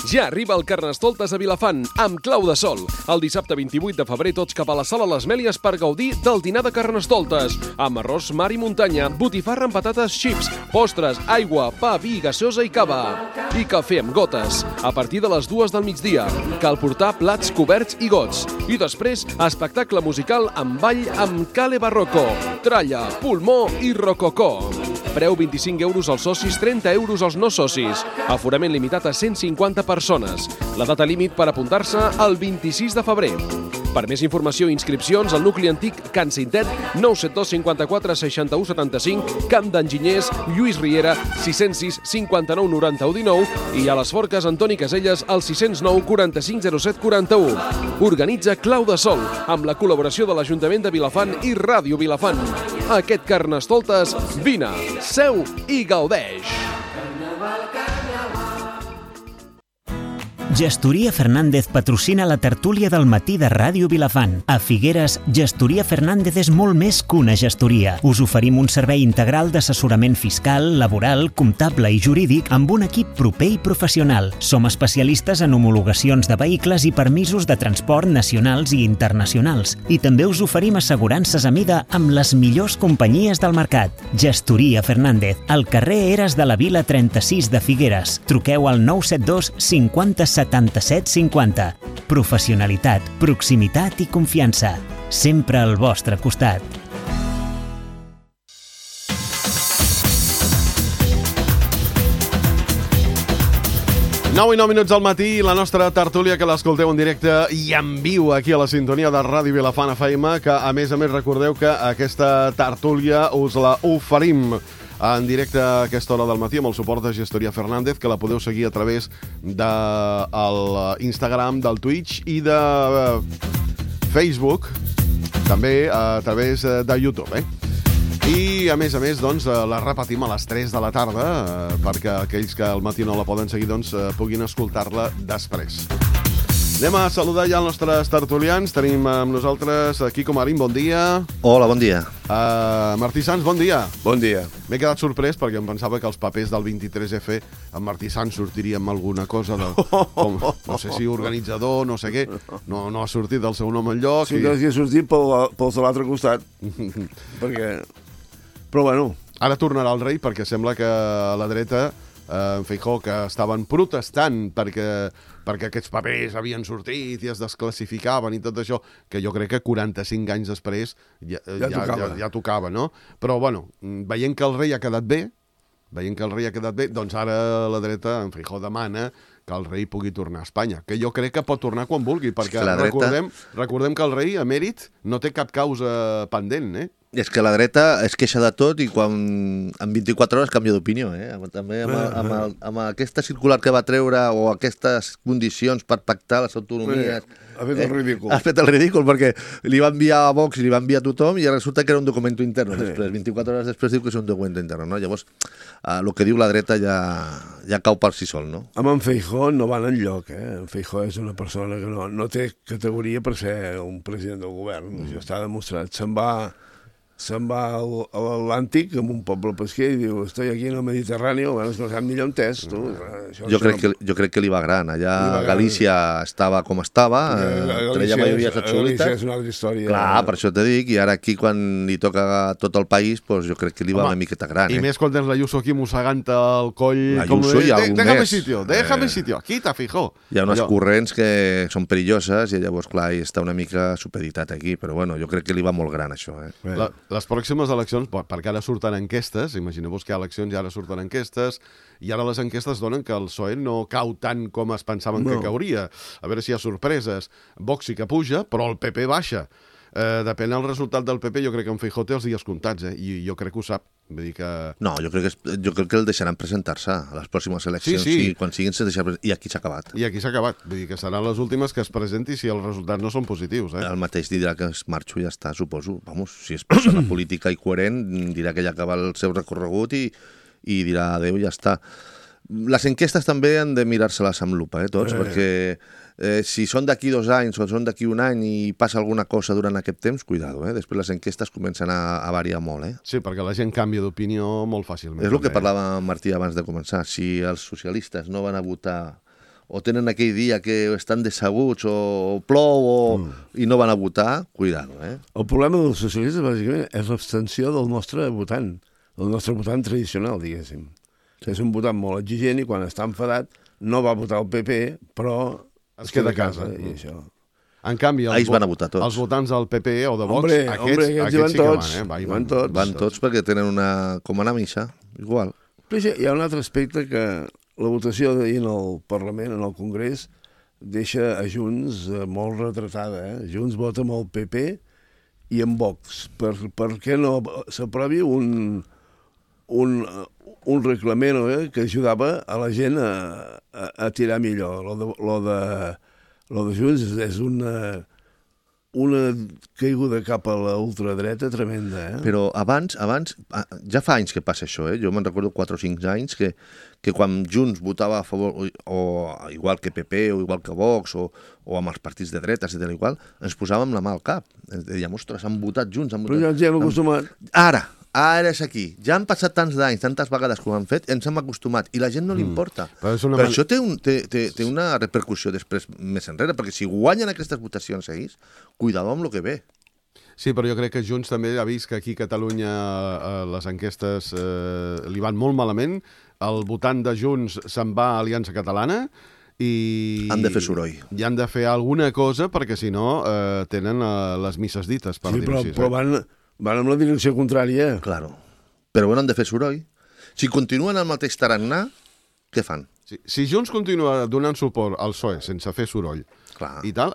Ja arriba el Carnestoltes a Vilafant, amb clau de sol. El dissabte 28 de febrer tots cap a la Sala Les Mèlies per gaudir del dinar de Carnestoltes. Amb arròs, mar i muntanya, botifarra amb patates xips, postres, aigua, pa, vi, gaseosa i cava. I cafè amb gotes. A partir de les 2 del migdia. Cal portar plats, coberts i gots. I després, espectacle musical amb ball amb Cale Barroco, tralla, pulmó i rococó. Preu 25 euros als socis, 30 euros als no socis. Aforament limitat a 150 persones. La data límit per apuntar-se el 26 de febrer. Per més informació i inscripcions, al nucli antic Can Cintet, 972 54 61 75, Camp d'Enginyers, Lluís Riera, 606 59 91 19 i a les Forques Antoni Caselles, al 609 45 07 41. Organitza Clau de Sol, amb la col·laboració de l'Ajuntament de Vilafant i Ràdio Vilafant. Aquest Carnestoltes, vine, seu i gaudeix! Gestoria Fernández patrocina la tertúlia del matí de Ràdio Vilafant. A Figueres, Gestoria Fernández és molt més que una gestoria. Us oferim un servei integral d'assessorament fiscal, laboral, comptable i jurídic amb un equip proper i professional. Som especialistes en homologacions de vehicles i permisos de transport nacionals i internacionals. I també us oferim assegurances a mida amb les millors companyies del mercat. Gestoria Fernández, al carrer Eres de la Vila 36 de Figueres. Truqueu al 972 50 77 50. Professionalitat, proximitat i confiança. Sempre al vostre costat. Nou i 9 minuts al matí, la nostra tertúlia que l'escolteu en directe i en viu aquí a la sintonia de Ràdio Vilafant FM, que a més recordeu que aquesta tertúlia us la oferim en directe a aquesta hora del matí amb el suport de Gestoria Fernández, que la podeu seguir a través de l'Instagram, del Twitch i de Facebook, també a través de YouTube, I, a més, doncs, la repetim a les 3 de la tarda perquè aquells que al matí no la poden seguir doncs, puguin escoltar-la després. Anem a saludar ja els nostres tertulians. Tenim amb nosaltres Quico Marín, bon dia. Hola, bon dia. Martí Sans, bon dia. Bon dia. M'he quedat sorprès perquè em pensava que els papers del 23F en Martí Sans sortiria amb alguna cosa de... no sé si organitzador, no sé què. No ha sortit el seu nom enlloc. Sí que ha sortit pels de l'altre costat. Perquè... Però bueno... Ara tornarà el rei perquè sembla que a la dreta en Feijóo, que estaven protestant perquè aquests papers havien sortit i es desclassificaven i tot això, que jo crec que 45 anys després ja tocava, no? Però, bueno, veient que el rei ha quedat bé, doncs ara la dreta, en Feijóo, demana que el rei pugui tornar a Espanya, que jo crec que pot tornar quan vulgui, perquè recordem que el rei emèrit no té cap causa pendent, És que la dreta es queixa de tot i quan en 24 hores canvia d'opinió, També amb aquesta circular que va treure o aquestes condicions per pactar les autonomies... Ha fet el ridícul. Ha fet el ridícul perquè li va enviar a Vox i li va enviar a tothom i resulta que era un document interno. Després, 24 hores després diu que és un document interno, no? Llavors, el que diu la dreta ja cau per si sol, no? Amb en Feijóo no van enlloc, En Feijóo és una persona que no té categoria per ser un president del govern. Això està demostrat. Se'n va a l'Atlàntic amb un poble pesquer i diu, estoy aquí en el Mediterráneo, bueno, és que no sap millor on és, tu. Jo crec que li va gran. Allà Galícia estava com estava, treia majories absolutes. Galícia és una altra història. Clar, per això t'he dit, i ara aquí quan li toca tot el país, doncs jo crec que li va una miqueta gran. I més quan tens l'Ayuso aquí mossegant el coll... L'Ayuso hi ha un déjame sitio, quita, Feijóo. Hi ha unes corrents que són perilloses i llavors, clar, està una mica supeditat aquí, però bueno, jo crec que li va molt gran això, Les pròximes eleccions, perquè ara surten enquestes, imagineu-vos que hi ha eleccions i ara surten enquestes, i ara les enquestes donen que el PSOE no cau tant com es pensaven que cauria. A veure si hi ha sorpreses. Vox sí que puja, però el PP baixa. Depèn del resultat del PP, jo crec que en Feijóo té els dies comptats, i jo crec que ho sap. Vull dir que... No, jo crec que el deixaran presentar-se a les pròximes eleccions. Sí. Quan siguin se deixarà presentar. I aquí s'ha acabat. I aquí s'ha acabat. Vull dir que seran les últimes que es presenti si els resultats no són positius. El mateix dirà que es marxo i ja està, suposo. Vamos, si és persona política i coherent, dirà que ja acaba el seu recorregut i dirà adéu i ja està. Les enquestes també han de mirar-se-les amb lupa, tots, perquè si són d'aquí 2 anys o són d'aquí 1 any i passa alguna cosa durant aquest temps, cuidado, després les enquestes comencen a variar molt, Sí, perquè la gent canvia d'opinió molt fàcilment. És el que parlava Martí abans de començar. Si els socialistes no van a votar o tenen aquell dia que estan decebuts o plou i no van a votar, cuidado, El problema dels socialistes, bàsicament, és l'abstenció del nostre votant tradicional, diguéssim. És un votant molt exigent i quan està enfadat no va votar el PP, però es queda a casa. I això. En canvi, ells van a votar tots. Els votants del PP o de Vox, aquests sí que van tots. Van tots perquè tenen com una missa, igual. Però hi ha un altre aspecte que la votació d'ahir en el Parlament, en el Congrés, deixa a Junts molt retratada. Junts vota amb el PP i amb Vox. Per què no s'aprovi un reglament que ajudava a la gent a tirar millor? Lo de Junts és una caiguda cap a la ultradreta tremenda. Però abans, ja fa anys que passa això, jo me'n recordo 4 o 5 anys que quan Junts votava a favor, o igual que PP, o igual que Vox, o amb els partits de dretes i tal igual, ens posàvem la mà al cap. Ens dèiem, ostres, han votat Junts. Però ja ens hi hem acostumat. Ara és aquí. Ja han passat tants d'anys, tantes vegades que ho han fet, ens hem acostumat, i la gent no li importa. Per això té una repercussió després més enrere, perquè si guanyen aquestes votacions seguís, cuidado amb el que ve. Sí, però jo crec que Junts també ha vist que aquí a Catalunya les enquestes li van molt malament. El votant de Junts se'n va a Aliança Catalana i... Han de fer soroll. I han de fer alguna cosa perquè, si no, tenen les misses dites, per dir-ho així. Però van amb la direcció contrària. Claro. Però bueno, han de fer soroll. Si continuen el mateix tarannà, què fan? Si Junts continua donant suport al PSOE sense fer soroll i tal,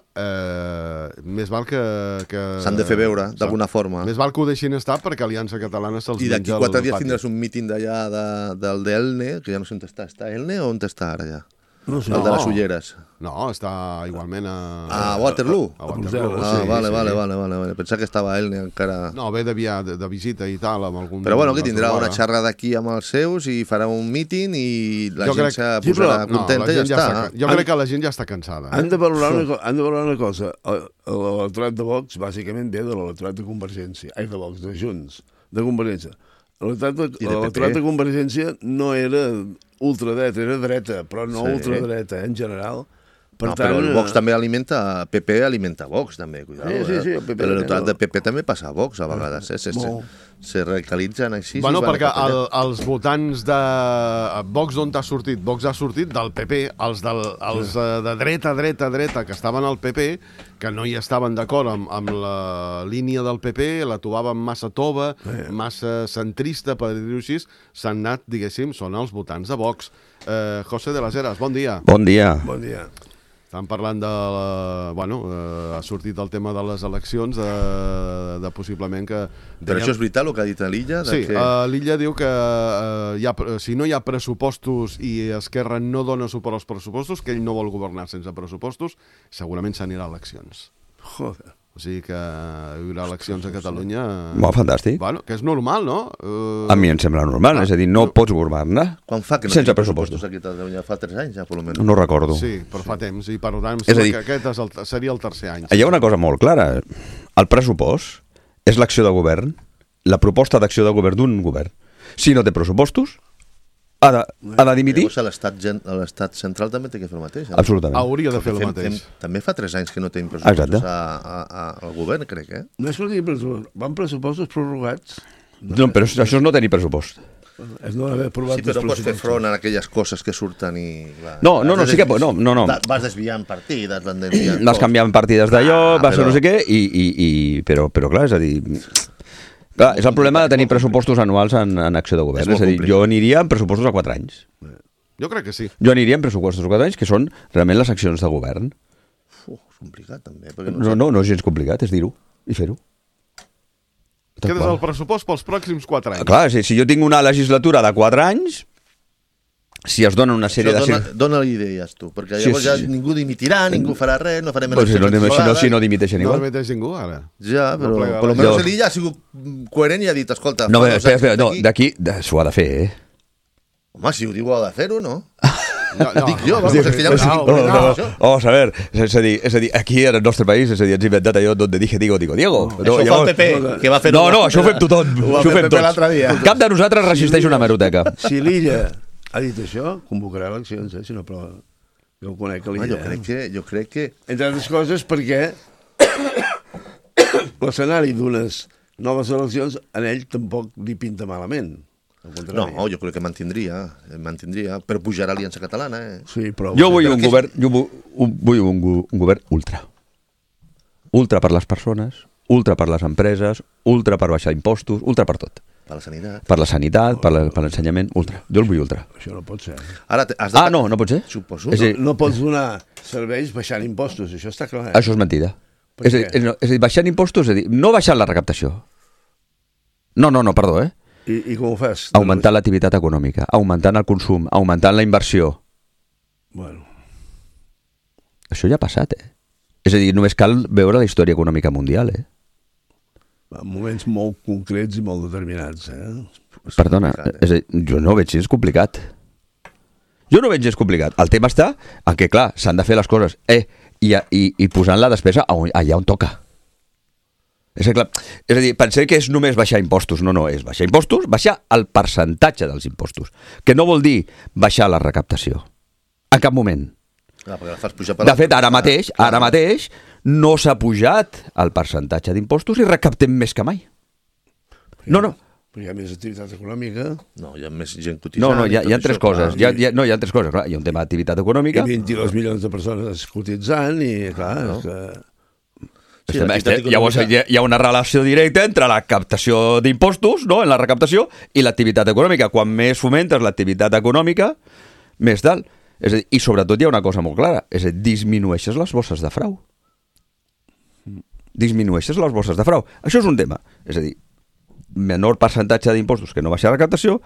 més val que... S'han de fer veure, d'alguna forma. Més val que ho deixin estar perquè Aliança Catalana se'ls menja el pati. I d'aquí 4 dies tindràs un míting d'allà del d'Elne, que ja no sé on està. Està Elne o on està ara ja? No sé. El de les ulleres. No, està igualment a Waterloo. A Waterloo. Vale. Pensava que estava Elne encara... No, ve de visita i tal, amb algun... Però bueno, que tindrà una xerrada aquí amb els seus i farà un míting i la gent se posarà contenta i ja està. Jo crec que la gent ja està cansada. Han de valorar una cosa. L'electorat de Vox bàsicament ve de l'electorat de Convergència. De Vox, de Junts, de Convergència. L'electorat de Convergència no era ultradreta, era dreta, però no ultradreta, en general. Però el Vox també alimenta, PP alimenta Vox, també, cuidado. Sí, el PP. L'electorat de PP també passa a Vox, a vegades, se radicalitzen així. Bueno, perquè els votants de Vox d'on ha sortit? Vox ha sortit del PP, els de dreta, que estaven al PP, que no hi estaven d'acord amb la línia del PP, la trobaven massa tova, massa centrista, per dir-ho així, s'han anat, diguéssim, són els votants de Vox. José de las Heras, bon dia. Bon dia. Bon dia. Estan parlant de... ha sortit el tema de les eleccions, de possiblement que... Però això és veritat, el que ha dit a l'Illa? Sí, l'Illa diu que si no hi ha pressupostos i Esquerra no dona suport als pressupostos, que ell no vol governar sense pressupostos, segurament s'anirà a eleccions. Joder. O sigui que hi haurà eleccions a Catalunya... Molt fantàstic. Bueno, que és normal, no? A mi em sembla normal, és a dir, no pots governar quan fa que no sense pressupostos. Aquí a Catalunya fa 3 anys ja, per almenys. No recordo. Sí, però fa temps, i per tant em sembla que aquest seria el tercer any. Hi ha una cosa molt clara. El pressupost és l'acció de govern, la proposta d'acció de govern d'un govern. Si no té pressupostos, ha de dimitir. L'Estat central també té que fer el mateix. Absolutament. Hauria de fer el mateix. També fa 3 anys que no tenim pressupostos al govern, crec, No és que no tenim pressupostos, van pressupostos prorrogats. No, però això és no tenir pressupost. És no haver aprovat sí, però no pots fer front a aquelles coses que surten i... No, sí que... No. Vas desviant partides, vas canviant partides d'allò, vas a no sé què, però clar, és a dir... Clar, és el problema de tenir pressupostos anuals en acció de govern. És a dir, jo aniria amb pressupostos a 4 anys. Jo crec que sí. Jo aniria amb pressupostos a 4 anys, que són realment les accions de govern. És complicat, també. No és gens complicat, és dir-ho i fer-ho. Quedes el pressupost pels pròxims 4 anys. Clar, si jo tinc una legislatura de 4 anys, si es dona una sèrie de... Dóna-li idees, tu, perquè llavors ja ningú dimitirà, ningú farà res, no farem eleccions. Si no dimiteixen igual. No dimiteix ningú, ara. Ja, però per almenys l'Illa ha sigut coherent i ha dit, escolta... No, espera, d'aquí s'ho ha de fer, Home, si ho diu, ho ha de fer-ho, no? Dic jo, és que ja vamos a ver, és a dir, aquí en el nostre país, és a dir, ens inventat allò donde dije Diego. Això fa el PP, que va fer... No, això ho fem tothom. Ho fem tots. Cap de nosaltres resisteix una hemeroteca. Si l'Illa ha dit això, convocarà eleccions, si no aprova. Jo conec l'idea. Jo crec que... Entre altres coses perquè l'escenari d'unes noves eleccions en ell tampoc li pinta malament. No, jo crec que mantindria, però pujarà l'Aliança Catalana. Sí, però... Jo vull un govern ultra. Ultra per les persones, ultra per les empreses, ultra per baixar impostos, ultra per tot. Per la sanitat. Per la sanitat, per l'ensenyament, ultra. Jo el vull ultra. Això no pot ser. Ara has de... No pot ser? Suposo. No pots donar serveis baixant impostos, això està clar. Això és mentida. És a dir, baixant impostos, és a dir, no baixant la recaptació. No, perdó, I com ho fas? Augmentant l'activitat econòmica, augmentant el consum, augmentant la inversió. Bueno. Això ja ha passat, És a dir, només cal veure la història econòmica mundial, En moments molt concrets i molt determinats, Perdona, és a dir, jo no veig gens complicat. El tema està en què, clar, s'han de fer les coses, i posant la despesa allà on toca. És a dir, penseu que és només baixar impostos. No, és baixar impostos, baixar el percentatge dels impostos, que no vol dir baixar la recaptació. En cap moment. De fet, ara mateix no s'ha pujat el percentatge d'impostos i recaptem més que mai. No. Però hi ha més activitat econòmica. No, hi ha més gent cotitzant. No, hi ha tres coses. Hi ha tres coses, clar. Hi ha un tema d'activitat econòmica. Hi ha 22 milions de persones cotitzant i, clar, Llavors hi ha una relació directa entre la captació d'impostos, en la recaptació, i l'activitat econòmica. Quan més fomentes l'activitat econòmica, més dalt. És a dir, i sobretot hi ha una cosa molt clara, és a dir, disminueixes les bosses de frau. Això és un tema. És a dir, menor percentatge d'impostos que no baixa la recaptació,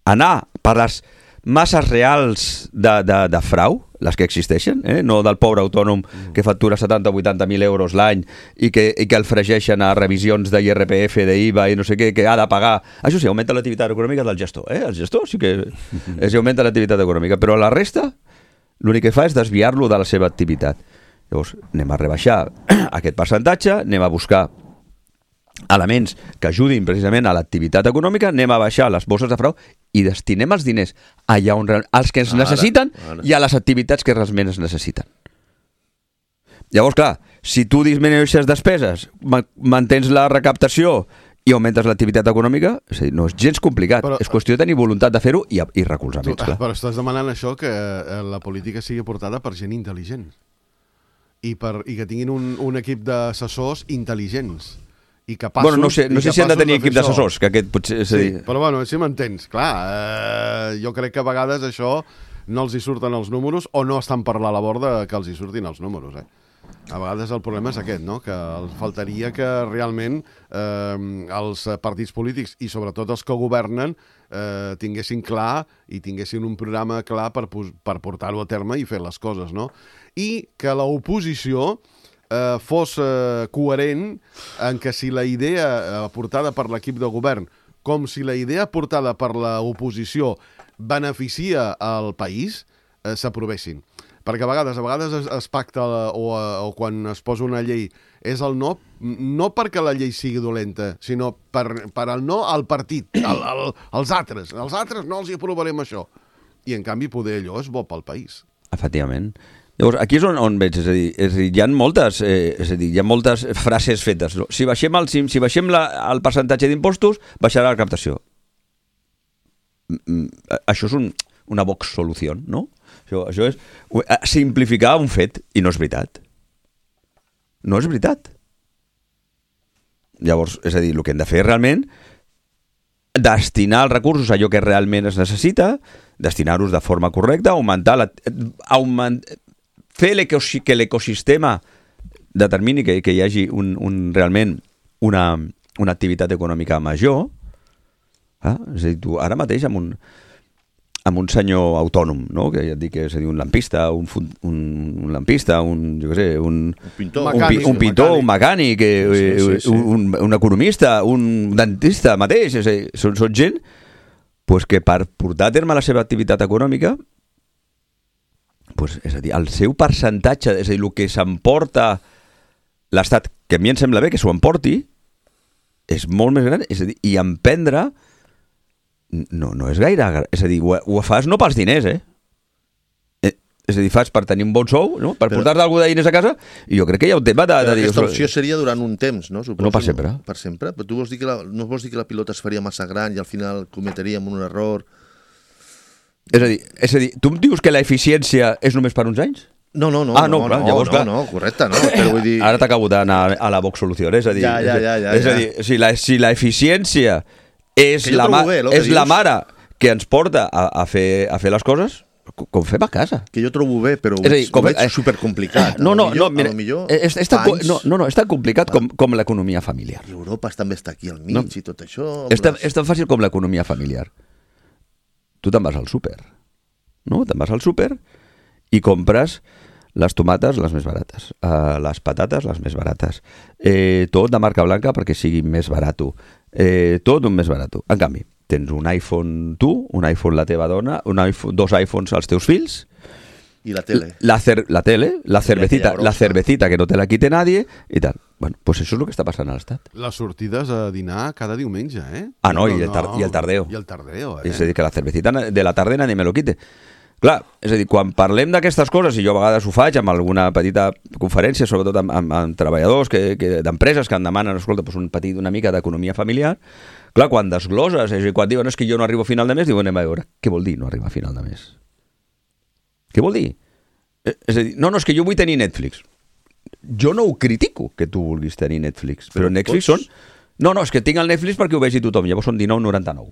anar per les masses reals de frau, les que existeixen, no del pobre autònom que factura 70 o 80.000 euros l'any i que el fregeixen a revisions d'IRPF, d'IVA i no sé què, que ha de pagar. Això sí, augmenta l'activitat econòmica del gestor. El gestor sí que augmenta l'activitat econòmica, però la resta l'únic que fa és desviar-lo de la seva activitat. Llavors, anem a rebaixar aquest percentatge, anem a buscar elements que ajudin precisament a l'activitat econòmica, anem a baixar les bosses de frau i destinem els diners allà on els que es necessiten i a les activitats que realment es necessiten. Llavors, clar, si tu disminueixes despeses, mantens la recaptació i augmentes l'activitat econòmica, no és gens complicat. És qüestió de tenir voluntat de fer-ho i recolzaments. Però estàs demanant això, que la política sigui portada per gent intel·ligent i que tinguin un equip d'assessors intel·ligents i capaços... No sé si han de tenir equip d'assessors, que aquest potser... Sí, però si m'entens. Clar, jo crec que a vegades això no els hi surten els números o no estan per la labor que els hi surtin els números, A vegades el problema és aquest, no? Que faltaria que realment els partits polítics i sobretot els que governen tinguessin clar i tinguessin un programa clar per portar-ho a terme i fer les coses, no? I que l'oposició fos coherent en que si la idea portada per l'equip de govern com si la idea portada per l'oposició beneficia al país, s'aprovessin. Perquè a vegades es pacta o quan es posa una llei és el no perquè la llei sigui dolenta, sinó per el no al partit, als altres. Els altres no els hi aprovarem això. I en canvi poder allò és bo pel país. Efectivament. Llavors, aquí és on veig, és a dir, hi ha moltes frases fetes. No? Si baixem el percentatge d'impostos, baixarà la captació. Això és una Vox solució, no? Això és simplificar un fet, i no és veritat. No és veritat. Llavors, és a dir, el que hem de fer realment destinar els recursos a allò que realment es necessita, destinar-los de forma correcta, fer que l'ecosistema determini que hi hagi realment una activitat econòmica major. És a dir, tu ara mateix amb un senyor autònom, no? Que ja et dic que és a dir, un lampista, un pintor, un mecànic, un economista, un dentista mateix, és a dir, són gent que per portar a terme la seva activitat econòmica, és a dir, el seu percentatge, és a dir, el que s'emporta l'Estat, que a mi em sembla bé que s'ho emporti, és molt més gran, és a dir, i emprendre no és gaire... És a dir, ho fas no pels diners, És a dir, fas per tenir un bon sou, no? Per portar-te algú de diners a casa, i jo crec que hi ha un tema de dir... Aquesta opció seria durant un temps, no? Suposo, no per sempre. Per sempre? Però tu vols dir que no vols dir que la pilota es faria massa gran i al final cometeríem un error? És a dir, tu em dius que l'eficiència és només per uns anys? No, correcte, no. Però vull dir... Ara t'acabo d'anar a la Vox Solucions, és a dir... És a dir, si l'eficiència és la mare que ens porta a fer les coses, com fem a casa. Que jo trobo bé, però ho veig supercomplicat. No, mira, és tan complicat com l'economia familiar. I Europa també està aquí al mig i tot això. És tan fàcil com l'economia familiar. Tu te'n vas al súper, no? Te'n vas al súper i compres les tomates les més barates, les patates les més barates, tot de marca blanca perquè sigui més barat. Tot un més barat. En canvi, tens un iPhone tu, un iPhone la teva dona, dos iPhones als teus fills, i la tele. La cervecita que no te la quite nadie i tal. Bueno, pues això és el que està passant a l'Estat. Les sortides a dinar cada diumenge, eh? Ah, no, i el tardeo. I el tardeo, És a dir, que la cervecita de la tarde nadie me lo quite. Clar, és a dir, quan parlem d'aquestes coses, i jo a vegades ho faig amb alguna petita conferència, sobretot amb treballadors d'empreses que em demanen, escolta, una mica d'economia familiar, clar, quan desgloses, és a dir, quan diuen que jo no arribo a final de mes, diuen, anem a veure, què vol dir no arribar a final de mes? Què vol dir? És a dir, no, és que jo vull tenir Netflix. Jo no ho critico, que tu vulguis tenir Netflix, però Netflix són... No, és que tinc el Netflix perquè ho vegi tothom, llavors són 19,99.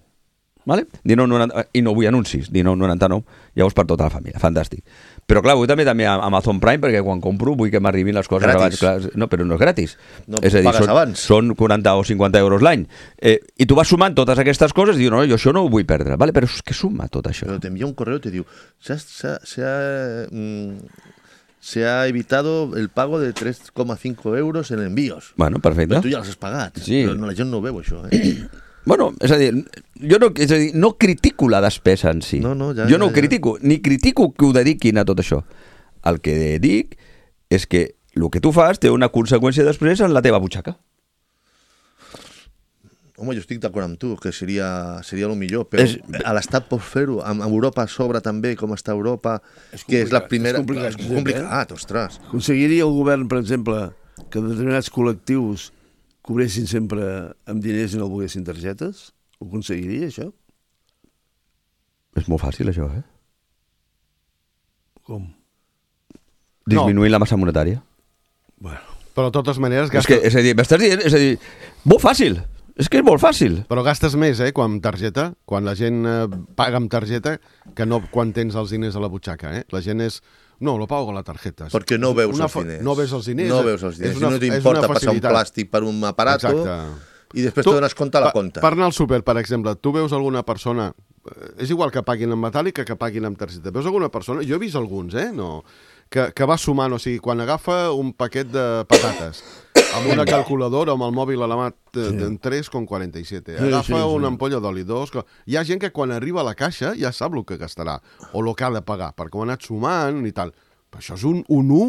Vale? 19,99, i no vull anuncis, 19,99, llavors per tota la família, fantàstic. Però clar, vull també a Amazon Prime perquè quan compro vull que m'arribin les coses gratis. Abans. Clar, no, però no és gratis. No, és a dir, són 40 o 50 euros l'any. I tu vas sumant totes aquestes coses i dius, no, jo això no ho vull perdre. Vale? Però és que suma tot això. Però t'envia un correo i te diu se ha evitado el pago de 3,5 euros en envíos. Bueno, perfecte. Però tu ja els has pagat. Sí. Però la gent no ho veu, això. Bueno, és a dir, no critico la despesa en si. Jo no ho critico, ni critico que ho dediquin a tot això. El que dic és que el que tu fas té una conseqüència després en la teva butxaca. Home, jo estic d'acord amb tu, que seria el millor, però a l'Estat pots fer-ho, amb Europa a sobre també, com està Europa, que és la primera... És complicat, ostres. Aconseguiria el govern, per exemple, que determinats col·lectius cobressin sempre amb diners i no volguessin targetes? Ho aconseguiria, això? És molt fàcil, això, eh? Com? Disminuir la massa monetària. Bueno. Però de totes maneres... És a dir, m'estàs dient... És a dir, molt fàcil. És que és molt fàcil. Però gastes més, quan amb targeta, quan la gent paga amb targeta, que no quan tens els diners a la butxaca, La gent és... No, lo pago con la tarjeta. Perquè no veus els diners. No veus els diners. No veus els diners. No t'importa passar un plàstic per un aparato. Exacte. I després te dones compte a la compta. Per anar al súper, per exemple, tu veus alguna persona... És igual que paguin en metàl·lic que paguin amb targeta. Veus alguna persona... Jo he vist alguns, no... Que va sumant, o sigui, quan agafa un paquet de patates amb una calculadora, amb el mòbil a la mà, en 3,47. Agafa una ampolla d'oli, 2... Hi ha gent que quan arriba a la caixa ja sap el que gastarà, o el que ha de pagar, perquè ho ha anat sumant i tal. Però això és un 1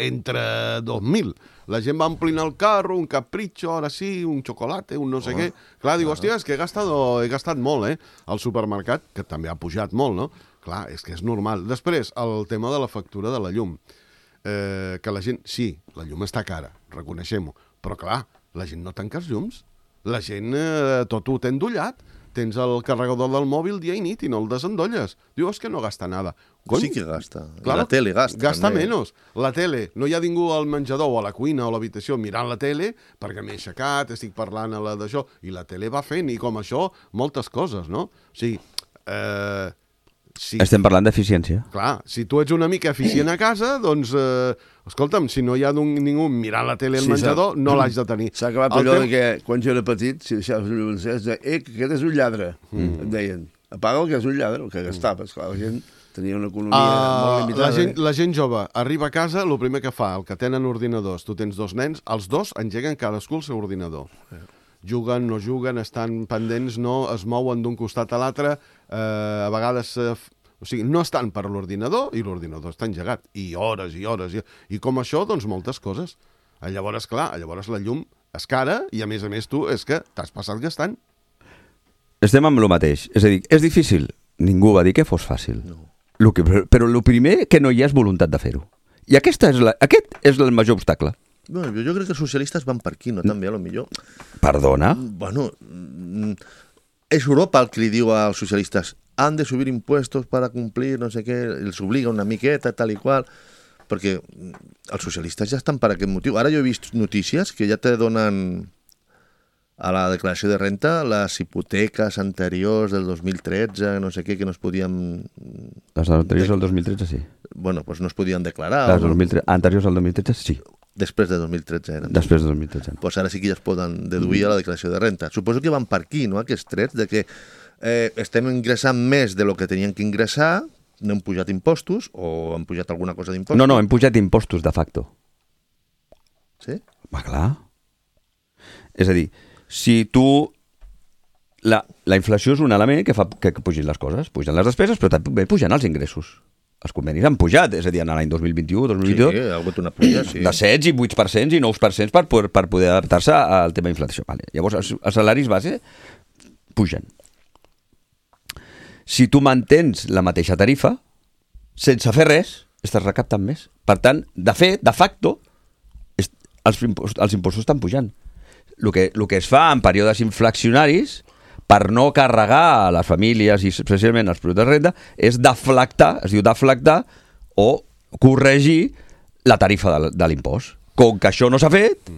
entre 2.000. La gent va omplint el carro, un capricho, ara sí, un xocolate, un no sé què. Clar, diu, hòstia, és que he gastat molt, al supermercat, que també ha pujat molt, no? Clar, és que és normal. Després, el tema de la factura de la llum. Que la gent... Sí, la llum està cara, reconeixem-ho. Però clar, la gent no tanca els llums. La gent tot ho té endollat. Tens el carregador del mòbil dia i nit i no el desendolles. Diu, és que no gasta nada. Sí que gasta. Clar, la tele gasta. Gasta menys. La tele. No hi ha ningú al menjador o a la cuina o a l'habitació mirant la tele perquè m'he aixecat, estic parlant a la d'això. I la tele va fent, i com això, moltes coses, no? O sigui... Estem parlant d'eficiència. Clar, si tu ets una mica eficient a casa, doncs, escolta'm, si no hi ha ningú mirant la tele al menjador, no l'haig de tenir. S'ha acabat allò que, quan jo era petit, si deixaves un llum, que aquest és un lladre, em deien. Apaga el que és un lladre, el que gastaves. Clar, la gent tenia una economia molt limitada. La gent jove arriba a casa, el primer que fa, el que tenen ordinadors, tu tens 2 nens, els 2 engeguen cadascú el seu ordinador. Juguen, no juguen, estan pendents, no es mouen d'un costat a l'altre, a vegades... O sigui, no estan per l'ordinador i l'ordinador està engegat. I hores i hores. I com això, doncs, moltes coses. Llavors, clar, llavors la llum és cara i, a més tu, és que t'has passat gastant. Estem amb el mateix. És a dir, és difícil. Ningú va dir que fos fàcil. No. Però el primer que no hi ha és voluntat de fer-ho. I aquest és el major obstacle. Bueno, jo crec que els socialistes van per aquí, no? També, a lo millor. Perdona? Bueno, és Europa el que li diu als socialistes han de subir impuestos para cumplir, no sé què, els obliga una miqueta, tal i qual, perquè els socialistes ja estan per aquest motiu. Ara jo he vist notícies que ja te donen a la declaració de renta les hipoteques anteriors del 2013, no sé què, que no es podien... Les anteriors al 2013, sí. Bueno, doncs no es podien declarar. Les anteriors al 2013, sí. Després de 2013 eren. Després de 2013. Doncs ara sí que ja es poden deduir a la declaració de renta. Suposo que van per aquí, no?, aquests trets, de que estem ingressant més de lo que tenien que ingressar, no hem pujat impostos, o han pujat alguna cosa d'impostos. No, hem pujat impostos de facto. Sí? Va, clar. És a dir, si tu... La inflació és un element que fa que pugin les coses. Pugen les despeses, però també pugen els ingressos. Els convenis han pujat, és a dir, en l'any 2021, 2022, sí, ha hagut una puja, sí. De 7 i 8% i 9% per poder adaptar-se al tema d'inflació. Vale. Llavors, els salaris base pugen. Si tu mantens la mateixa tarifa, sense fer res, estàs recaptant més. Per tant, de fet, de facto, els impostos estan pujant. El que es fa en períodes inflacionaris per no carregar a les famílies i especialment als productes de renda és deflactar, es diu deflactar o corregir la tarifa de l'impost. Com que això no s'ha fet,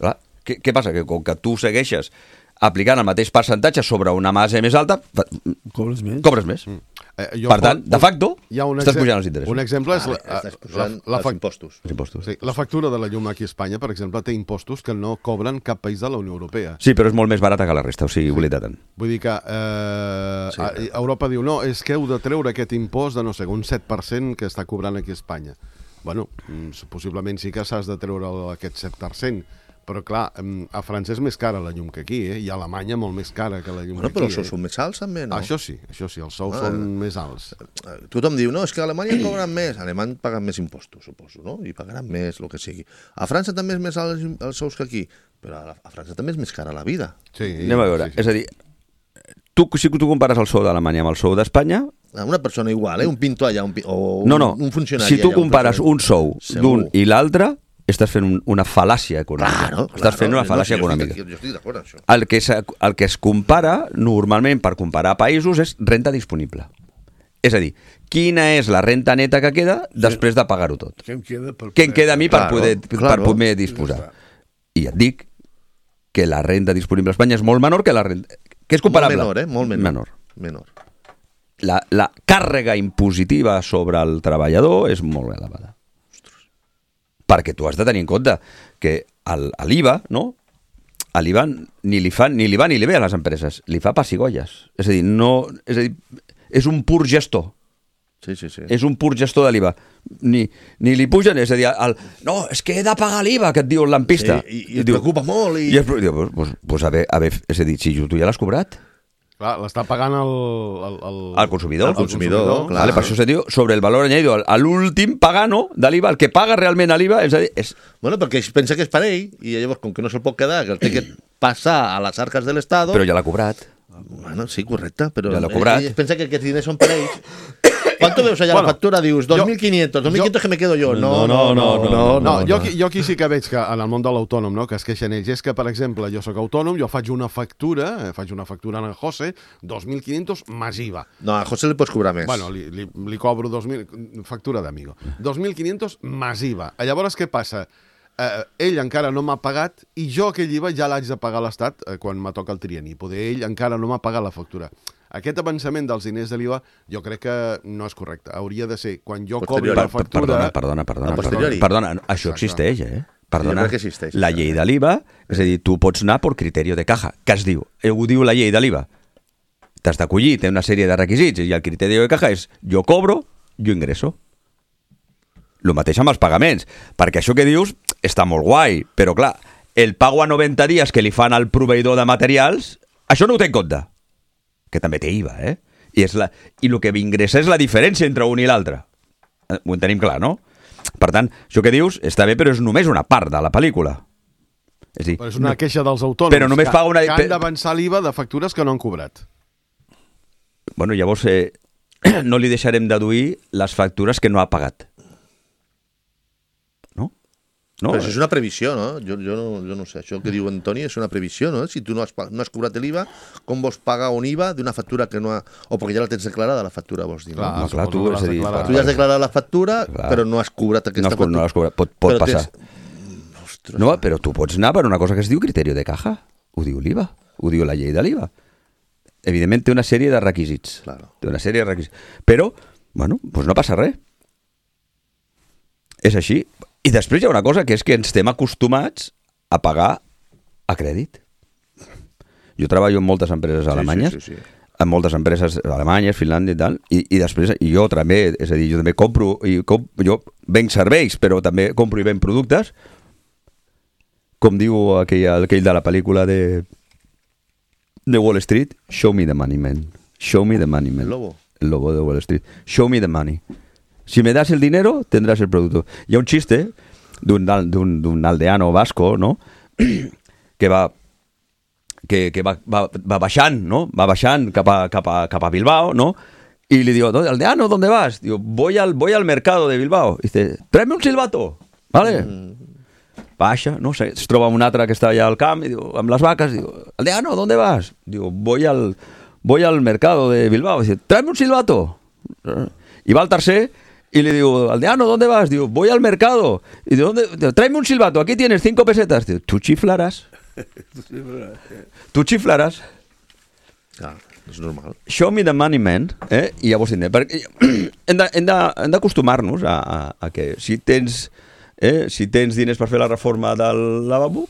clar, què passa? Que com que tu segueixes aplicant el mateix percentatge sobre una base més alta, cobres més. Cobres més. Per tant, de facto, estàs pujant els interessos. Un exemple és estàs pujant els impostos. Els impostos. Sí, la factura de la llum aquí a Espanya, per exemple, té impostos que no cobren cap país de la Unió Europea. Sí, però és molt més barata que la resta, o sigui, oblida tant. Vull dir que Europa diu, no, és que heu de treure aquest impost de, no sé, un 7% que està cobrant aquí a Espanya. Bueno, possiblement sí que s'has de treure aquest 7%, però clar, a França és més cara la llum que aquí, i a Alemanya molt més cara que la llum que aquí. Però els sous són més alts també, no? Això sí, els sous són més alts. Tothom diu, no, és que a Alemanya cobren més. A Alemanya paguen més impostos, suposo, no? I pagaran més, el que sigui. A França també és més alt els sous que aquí, però a França també és més cara la vida. Sí, anem a veure, és a dir, si tu compares el sou d'Alemanya amb el sou d'Espanya... Una persona igual, un pintor allà, o un funcionari allà. Si tu compares un sou d'un i l'altre, estàs fent una fal·làcia econòmica. Claro, estàs fent una fal·làcia econòmica. Jo estic d'acord amb això. El que es compara, normalment, per comparar països, és renta disponible. És a dir, quina és la renta neta que queda després de pagar-ho tot? Què em queda a mi per poder disposar? I et dic que la renta disponible a Espanya és molt menor que la renta... Que és comparable. Molt menor, molt menor. La càrrega impositiva sobre el treballador és molt elevada. Perquè tu has de tenir en compte que l'IVA, no? A l'IVA ni li va ni li ve a les empreses, li fa pessigolles. És a dir, és un pur gestor. Sí. És un pur gestor de l'IVA. Ni li pugen, és a dir, no, és que he de pagar l'IVA, que et diu el lampista. Sí, i et preocupa molt. Pues a veure, és a dir, si tu ja l'has cobrat. Clar, l'està pagant el consumidor. El consumidor, clar. Vale, per això se diu sobre el valor añadido. L'últim pagano de l'IVA, el que paga realment a l'IVA, és a dir... Bueno, perquè pensa que és per ell, i llavors, com que no se'l pot quedar, que el té que passar a les arques de l'Estat... Però ja l'ha cobrat. Bueno, sí, correcte, però... Ja l'ha cobrat. Ell pensa que aquests diners són per ells. ¿Cuánto veus allà la factura? Dius, 2.500 que me quedo yo. No, jo aquí sí que veig que en el món de l'autònom, no, que es queixen ells, és que, per exemple, jo sóc autònom, jo faig una factura en el José, 2.500 més IVA. No, a José li pots cobrar més. Bueno, li cobro 2.000, factura d'amigo. 2.500 més IVA. Llavors, què passa? Ell encara no m'ha pagat i jo aquell IVA ja l'haig de pagar a l'Estat quan me toca el trienni. Poder ell encara no m'ha pagat la factura. Aquest avançament dels diners de l'IVA jo crec que no és correcte. Hauria de ser quan jo cobri la factura... Perdona, això existeix, Perdona, jo crec que existeix, la llei de l'IVA, és a dir, tu pots anar per criteri de caja. Què es diu? Ho diu la llei de l'IVA. T'has d'acollir, té una sèrie de requisits, i el criteri de caja és jo cobro, jo ingresso. El mateix amb els pagaments, perquè això que dius està molt guai, però clar, el pago a 90 dies que li fan al proveïdor de materials, això no ho té en compte, que també té IVA, I el que ingressa és la diferència entre un i l'altre. Ho en tenim clar, no? Per tant, això que dius està bé, però és només una part de la pel·lícula. Però és una queixa dels autònoms però només paga que han d'avançar l'IVA de factures que no han cobrat. Bueno, llavors... no li deixarem deduir les factures que no ha pagat. No? Però això és una previsió, no? Jo no sé, això que diu Antoni és una previsió, no? Si tu no has cobrat l'IVA, com vols pagar un IVA d'una factura que no ha... O perquè ja la tens declarada, la factura, vols dir, no? Clar, tu Tu ja has declarat la factura, però no has cobrat aquesta factura. No has cobrat, pot passar. Ostres. No, però tu pots anar per una cosa que es diu criteri de caja. Ho diu l'IVA, ho diu la llei de l'IVA. Evidentment té una sèrie de requisits. Claro. Té una sèrie de requisits. Però, bueno, doncs no passa res. És així. I després hi ha una cosa, que és que ens estem acostumats a pagar a crèdit. Jo treballo en moltes empreses alemanyes, sí. en moltes empreses alemanyes, Finlàndia i tal, i després jo també, és a dir, jo també compro, jo venc serveis, però també compro i venc productes, com diu aquell de la pel·lícula de Wall Street, show me the money, man. Show me the money, man. El lobo de Wall Street. Show me the money. Si me das el dinero, tendrás el producto. Hi ha un xiste d'un aldeano vasco, no? que va baixant, no? Va baixant cap a Bilbao, no? Y le digo, aldeano, ¿dónde vas? Digo, voy al mercado de Bilbao. Y dice, tráeme un silbato, ¿vale? Baixa, no sé, es troba un altre que està allà al camp i diu, amb les vaques, diu, aldeano, ¿dónde vas? Diu, voy al mercado de Bilbao. Dice, tráeme un silbato. I va al tercer y le digo, aldeano, ¿dónde vas? Digo, voy al mercado. Y digo, ¿dónde? Tráeme un silbato, aquí tienes 5 pesetas. Digo, tú chiflarás. Tu xiflaràs. Ah, és normal. Show me the money, man. I llavors perquè hem d'acostumar-nos a que si tens diners per fer la reforma del lavabo,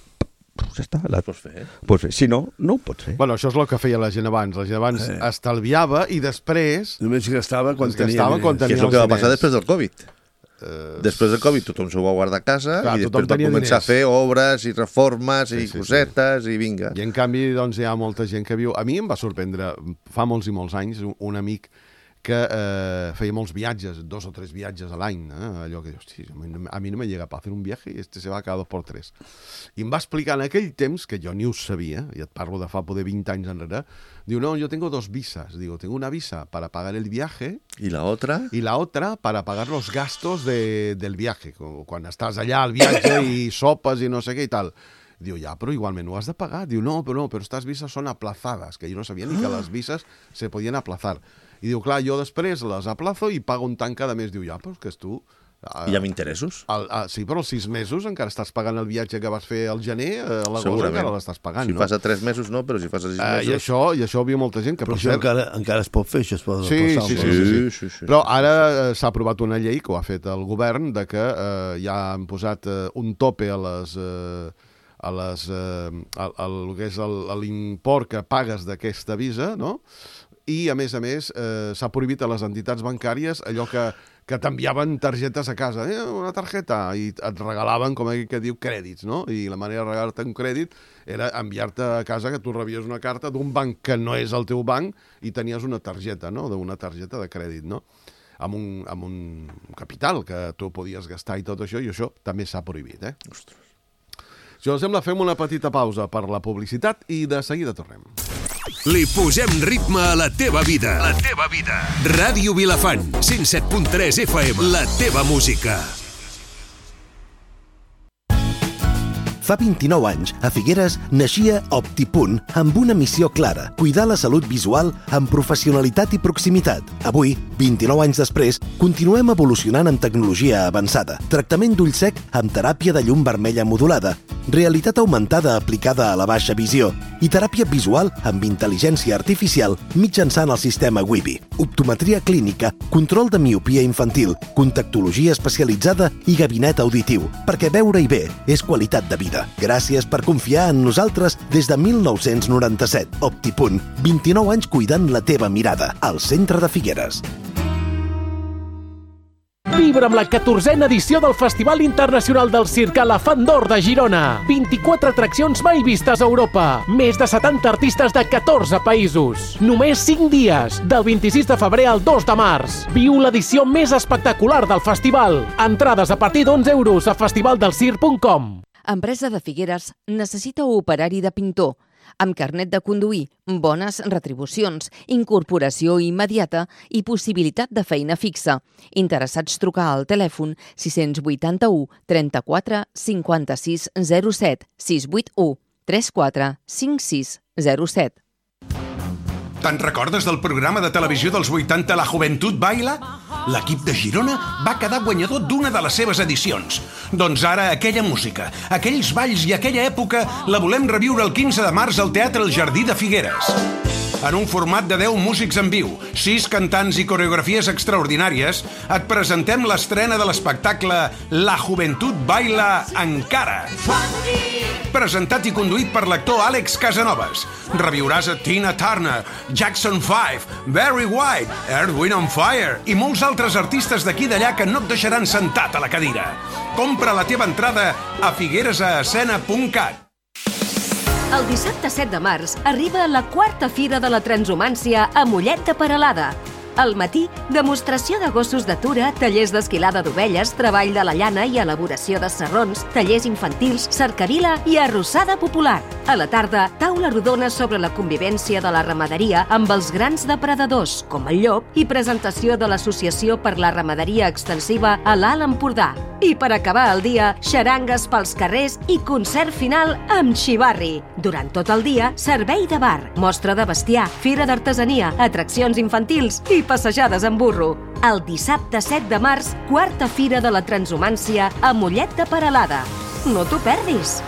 ja està. Pots fer. Pots fer. Si no, no ho pots fer. Bueno, això és el que feia la gent abans. La gent abans estalviava i després... Només gastava quan tenia diners. Que és el que va passar després del Covid. Després del Covid tothom s'ho va guardar a casa. Clar, i després va començar a fer obres i reformes i cosetes i vinga. I en canvi doncs, hi ha molta gent que viu... A mi em va sorprendre, fa molts i molts anys, un amic que feia molts viatges, 2 o 3 viatges a l'any, allò que dius, a mi no me llega para hacer un viaje y se va cada 2 por 3. I em va explicar en aquell temps, que jo ni ho sabia, i et parlo de fa poder 20 anys enrere, diu, no, yo tengo 2 visas. Digo, tengo una visa para pagar el viaje. ¿Y la otra? Y la otra para pagar los gastos del viaje. Quan estàs allà al viatge i sopes i no sé què i tal. Diu, ja, però igualment ho has de pagar. Diu, no, però estas visas son aplazadas, que jo no sabia ni que les visas se podien aplazar. I diu, clar, jo després les aplazo i pago un tant cada mes. Diu, ja, però és que és tu... I amb interessos? Sí, però els 6 mesos encara estàs pagant el viatge que vas fer al gener, a l'agost encara l'estàs pagant, no? Si fas a 3 mesos no, però si fas a 6 mesos... I això viu molta gent que... Però això encara es pot fer, això es pot passar. Sí. Però ara s'ha aprovat una llei que ho ha fet el govern, de que ja han posat un tope a l'import que pagues d'aquesta visa, no? I, a més, s'ha prohibit a les entitats bancàries allò que t'enviaven targetes a casa. Una targeta, i et regalaven, com aquell que diu, crèdits, no? I la manera de regalar-te un crèdit era enviar-te a casa que tu rebies una carta d'un banc que no és el teu banc i tenies una targeta, no? D'una targeta de crèdit, no? Amb un capital que tu podies gastar i tot això, i això també s'ha prohibit, Ostres. Si us sembla, fem una petita pausa per la publicitat i de seguida tornem. Li posem ritme a la teva vida. La teva vida. Ràdio Vilafant, 107.3 FM. La teva música. Fa 29 anys, a Figueres, naixia OptiPunt amb una missió clara, cuidar la salut visual amb professionalitat i proximitat. Avui, 29 anys després, continuem evolucionant amb tecnologia avançada, tractament d'ull sec amb teràpia de llum vermella modulada, realitat augmentada aplicada a la baixa visió i teràpia visual amb intel·ligència artificial mitjançant el sistema Wibi, optometria clínica, control de miopia infantil, contactologia especialitzada i gabinet auditiu, perquè veure-hi bé és qualitat de vida. Gràcies per confiar en nosaltres des de 1997. OptiPunt, 29 anys cuidant la teva mirada, al centre de Figueres. Vibra amb la 14a edició del Festival Internacional del Circ Elefant d'Or de Girona. 24 atraccions mai vistes a Europa. Més de 70 artistes de 14 països. Només 5 dies, del 26 de febrer al 2 de març. Viu l'edició més espectacular del festival. Entrades a partir d'11 € a festivaldelcirc.com. Empresa de Figueres necessita operari de pintor. amb carnet de conduir, bones retribucions, incorporació immediata i possibilitat de feina fixa. Interessats trucar al telèfon 681 34 56 07 681 34 56 07. Te'n recordes del programa de televisió dels 80 La Juventud Baila? L'equip de Girona va quedar guanyador d'una de les seves edicions. Doncs ara aquella música, aquells balls i aquella època la volem reviure el 15 de març al Teatre El Jardí de Figueres. En un format de 10 músics en viu, 6 cantants i coreografies extraordinàries, et presentem l'estrena de l'espectacle La Juventud Baila encara. Presentat i conduït per l'actor Àlex Casanovas. Reviuràs a Tina Turner, Jackson 5, Barry White, Earth, Wind and Fire i molts altres artistes d'aquí i d'allà que no et deixaran sentat a la cadira. Compra la teva entrada a figueresascena.cat. El dissabte 7 de març arriba la 4a Fira de la Transhumància a Mollet de Peralada. Al matí, demostració de gossos d'atura, tallers d'esquilada d'ovelles, treball de la llana i elaboració de sarrons, tallers infantils, cercavila i arrossada popular. A la tarda, taula rodona sobre la convivència de la ramaderia amb els grans depredadors, com el llop, i presentació de l'Associació per la Ramaderia Extensiva a l'Alt Empordà. I per acabar el dia, xarangues pels carrers i concert final amb xivarri. Durant tot el dia, servei de bar, mostra de bestiar, fira d'artesania, atraccions infantils i passejades en burro. El dissabte 7 de març, 4a Fira de la Transhumància a Mollet de Peralada. No t'ho perdis!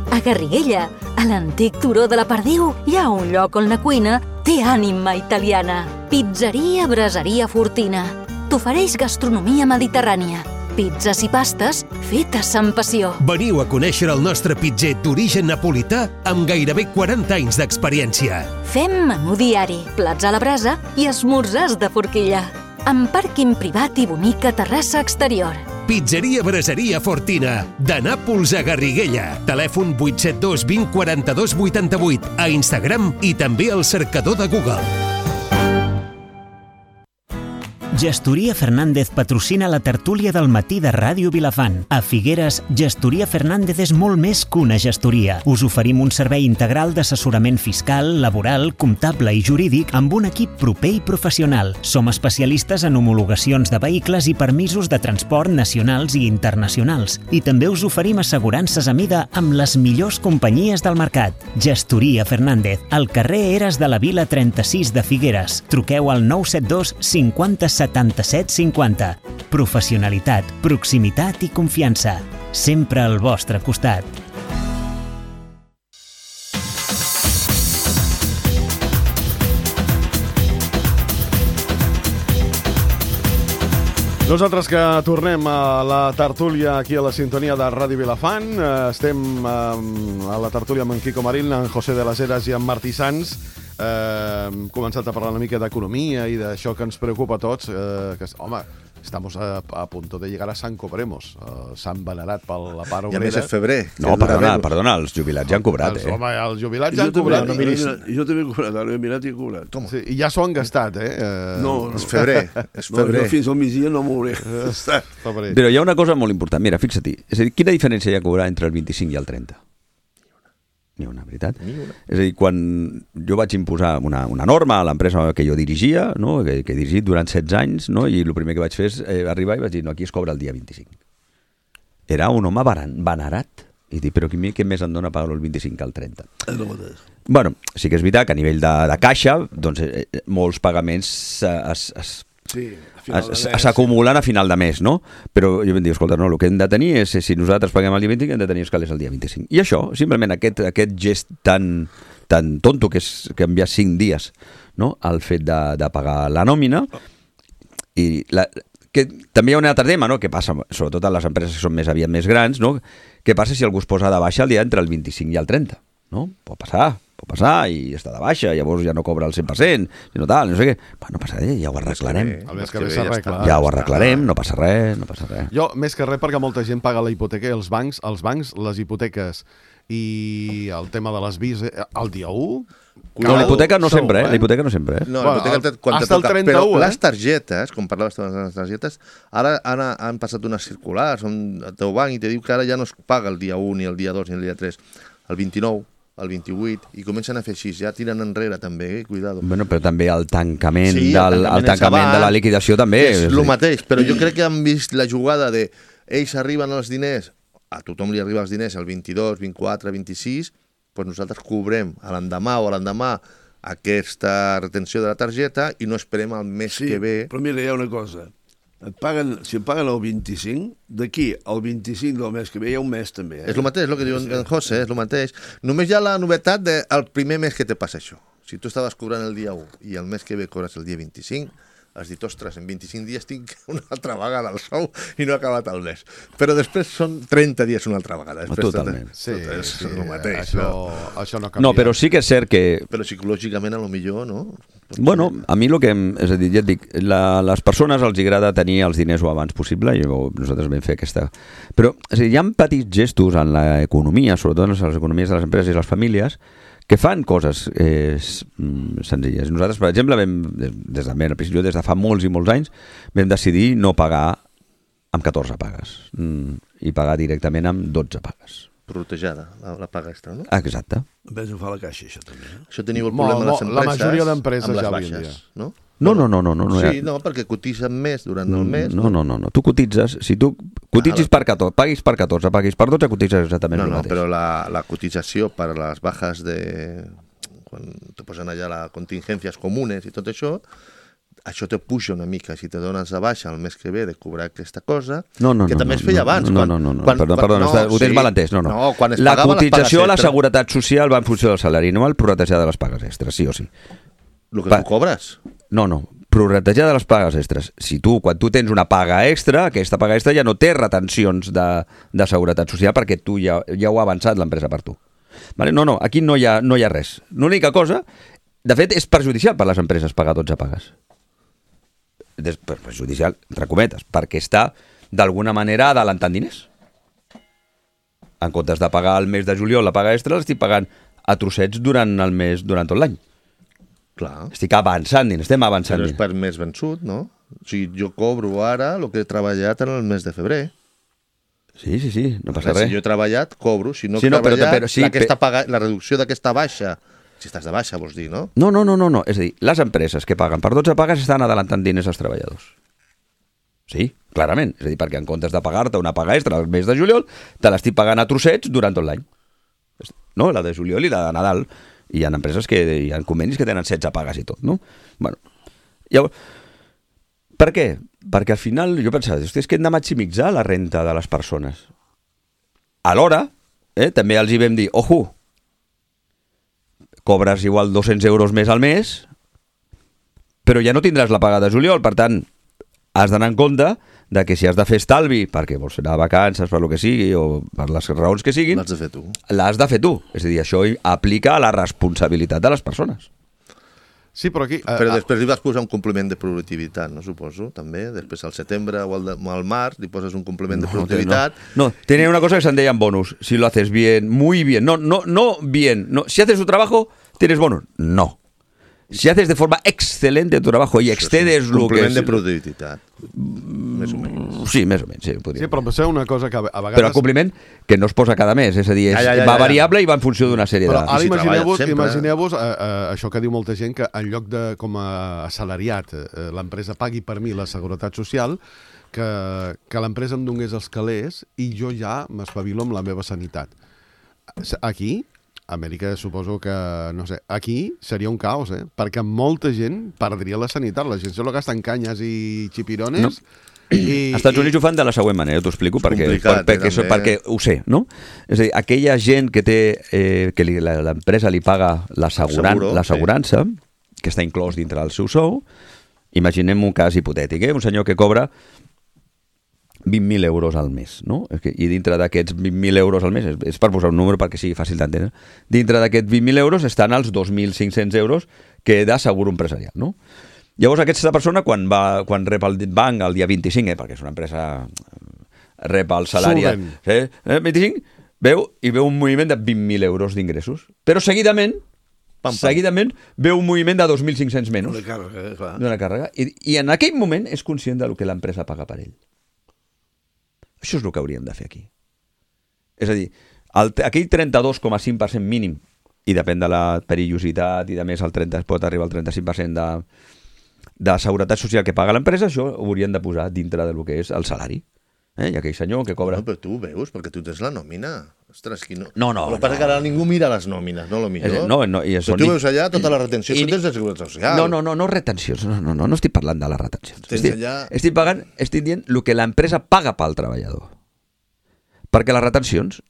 A Garriguella, a l'antic turó de la Perdiu, hi ha un lloc on la cuina té ànima italiana. Pizzeria Braseria Fortina. T'ofereix gastronomia mediterrània. Pizzas i pastes fetes amb passió. Veniu a conèixer el nostre pitzer d'origen napolità amb gairebé 40 anys d'experiència. Fem menú diari, plats a la brasa i esmorzars de forquilla. Amb pàrquing privat i bonica terrassa exterior. Pizzeria Braseria Fortina, de Nàpols a Garriguella. Telèfon 872 20 42 88, a Instagram i també al cercador de Google. Gestoria Fernández patrocina la tertúlia del matí de Ràdio Vilafant. A Figueres, Gestoria Fernández és molt més que una gestoria. Us oferim un servei integral d'assessorament fiscal, laboral, comptable i jurídic amb un equip proper i professional. Som especialistes en homologacions de vehicles i permisos de transport nacionals i internacionals. I també us oferim assegurances a mida amb les millors companyies del mercat. Gestoria Fernández, al carrer Eres de la Vila 36 de Figueres. Truqueu al 972 50 77 50. Professionalitat, proximitat i confiança. Sempre al vostre costat. Nosaltres que tornem a la tertúlia aquí a la sintonia de Ràdio Vilafant. Estem a la tertúlia amb en Quico Marín, en José de las Heras i en Martí Sans. Hem començat a parlar una mica d'economia i d'això que ens preocupa a tots, que, home, estamos a punto de llegar a San Cobremos, Sant venerat per la part obrera. I a més és febrer. No, perdona, els jubilats ja han cobrat, Home, els jubilats ja han cobrat. Jo també he cobrat, ara he mirat i he cobrat. Sí, i ja s'ho han gastat, No, és febrer. No, jo fins al migdia no m'hauré gastat. Però hi ha una cosa molt important. Mira, fixa-t'hi. És a dir, quina diferència hi ha a cobrar entre el 25 i el 30? Ni una, veritat. És a dir, quan jo vaig imposar una norma a l'empresa que jo dirigia, no? que he dirigit durant 16 anys, no? I el primer que vaig fer és arribar i vaig dir, no, aquí es cobra el dia 25. Era un home venerat. I dic, però què més em dona pagar el 25 que el 30? Bueno, sí que és veritat que a nivell de caixa, doncs, molts pagaments s'acumulen a final de mes, no? Però jo em dic, escolta, no, el que hem de tenir és, si nosaltres paguem el dia 25, hem de tenir els calés el dia 25. I això, simplement aquest gest tan tonto, que és canviar 5 dies, no?, al fet de pagar la nòmina. I que també hi ha un altre tema, no?, que passa, sobretot a les empreses que són més aviat més grans, no?, què passa si algú es posa de baixa el dia entre el 25 i el 30, no? Pot passar, Pot passar i està de baixa, llavors ja no cobra el 100%, sinó tal, no sé què. No passa res, ja ho arreglarem. El mes que ve s'arregla. Ja ho arreglarem, no passa res, no passa res. Jo, més que res, perquè molta gent paga la hipoteca i els bancs, les hipoteques i el tema de les vis, el dia 1... No, la hipoteca no sempre, la hipoteca no sempre. No, la hipoteca quan te toca. Però les targetes, com parlaves de les targetes, ara han passat unes circulars on el teu banc i te diu que ara ja no es paga el dia 1, ni el dia 2, ni el dia 3, el 29, el 28, i comencen a fer així, ja tiren enrere també, cuidado. Bueno, però també el tancament, el tancament de la liquidació també. És el mateix, però jo crec que han vist la jugada de ells arriben els diners, a tothom li arriba els diners el 22, 24, 26, doncs nosaltres cobrem a l'endemà o a l'endemà aquesta retenció de la targeta i no esperem el mes que ve. Però mira, hi ha una cosa. Si et paguen el 25, d'aquí al 25 del mes que ve hi ha un mes també. És el mateix, el que diu en José, és el mateix. Només hi ha la novetat del primer mes que te passa això. Si tu estaves cobrant el dia 1 i el mes que ve cobres el dia 25, has dit, ostres, en 25 dies tinc una altra vegada el sou i no ha acabat el mes. Però després són 30 dies una altra vegada. Totalment. Sí, és el mateix. Això no canvia. No, però sí que és cert que... Però psicològicament, a lo millor, no? Bueno, a mi el que... És a dir, ja et dic, les persones els agrada tenir els diners o abans possible, i nosaltres vam fer aquesta... Però és a dir, hi ha petits gestos en l'economia, sobretot en les economies de les empreses i les famílies, que fan coses senzilles. Nosaltres, per exemple, des de fa molts i molts anys, vam decidir no pagar amb 14 pagues i pagar directament amb 12 pagues. Protejada, la paga extra, no? Exacte. A més ho fa la caixa, això també. Això teniu el problema de les empreses. La majoria d'empreses amb les ja baixes, no? No. Sí, no, perquè cotitzen més durant el mes. No. Tu cotitzes, si tu cotitzis per 14, paguis per 14, paguis per 12, cotitzes exactament el mateix. No, però la cotització per a les bajas quan te posen allà les contingències comunes i tot això te puja una mica. Si te dones de baixa el mes que ve de cobrar aquesta cosa, que també es feia abans. No, perdona, ho tens mal entès. No. La cotització a la Seguretat Social va en funció del salari anual prorratejada de les pagues extres, sí o sí. El que tu cobres? No, prorratejada de les pagues extres. Quan tu tens una paga extra, aquesta paga extra ja no té retencions de Seguretat Social perquè tu ja ho ha avançat l'empresa per tu. Vale? No, aquí no hi ha res. L'única cosa, de fet, és perjudicial per les empreses pagar 12 pagues. Perjudicial, entre cometes, perquè està d'alguna manera adelantant diners. En comptes de pagar el mes de juliol la paga extra, l'estic pagant a trossets durant tot l'any. Clar. Estic avançant diners, estem avançant diners. Però és per mes vençut, no? O sigui, jo cobro ara el que he treballat en el mes de febrer. Sí, no passa res. Si jo he treballat, cobro. Si no he treballat, la reducció d'aquesta baixa, si estàs de baixa, vols dir, no? No. És a dir, les empreses que paguen per 12 pagues estan adelantant diners als treballadors. Sí, clarament. És a dir, perquè en comptes de pagar-te una paga extra al mes de juliol, te l'estic pagant a trossets durant tot l'any. No, la de juliol i la de Nadal. I hi ha empreses hi ha convenis que tenen 16 pagues i tot, no? Bueno, llavors, per què? Perquè al final jo pensava, és que hem de maximitzar la renta de les persones. Alhora, també els hi vam dir, ojo, cobres igual 200 euros més al mes, però ja no tindràs la paga de juliol, per tant, has d'anar en compte de que si has de fer estalvi perquè vols anar a vacances, per lo que sigui, o per les raons que siguin, l'has de fer tu. L'has de fer tu. És a dir, això aplica a la responsabilitat de les persones. Sí, però aquí... Però després li vas posar un complement de productivitat, no suposo, també? Després al setembre o al març li poses un complement de productivitat. No, tenía una cosa que se deien bonus. Si lo haces bien, muy bien. No bien. No. Si haces tu trabajo, tienes bonus. No. Si haces de forma excelente tu trabajo i excedes lo que... Complement de productivitat. Més o menys. Sí, més o menys. Sí, però potser una cosa que a vegades... Però el compliment que no es posa cada mes, és a dir, va variable i va en funció d'una sèrie de... Però ara imagineu-vos això que diu molta gent, que en lloc de, com a assalariat, l'empresa pagui per mi la Seguretat Social, que l'empresa em donés els calés i jo ja m'espavilo amb la meva sanitat. Aquí... Amèrica suposo que, no sé, aquí seria un caos, perquè molta gent perdria la sanitat. La gent se lo gasta en canyes i xipirones. No. Als Estats Units ho fan de la següent manera, t'ho explico, perquè ho sé, no? És a dir, aquella gent que té, que l'empresa li paga l'assegurança, que està inclòs dintre del seu sou, imaginem un cas hipotètic, un senyor que cobra 20.000 euros al mes, no? I dintre d'aquests 20.000 euros al mes, és per posar un número perquè sigui fàcil d'entendre, dintre d'aquests 20.000 euros estan els 2.500 euros que da seguro empresarial, no? Llavors aquesta persona quan rep el banc el dia 25, perquè és una empresa, rep el salari 25, veu un moviment de 20.000 euros d'ingressos, però seguidament veu un moviment de 2.500 menys d'una càrrega, i en aquell moment és conscient del que l'empresa paga per ell. Això és el que hauríem de fer aquí. És a dir, aquell 32,5% mínim, i depèn de la perillositat i de més pot arribar al 35% de seguretat social que paga l'empresa, això ho haurien de posar dintre del que és el salari. I aquell senyor que cobra... No, però tu ho veus, perquè tu tens la nòmina. Ostres, qui no... No. El que passa que ara ningú mira les nòmines, no? Lo millor. Però tu veus allà tota la retenció, tu tens de seguretat social. No retencions, no estic parlant de les retencions. Estic dient el que l'empresa paga pel treballador. Perquè les retencions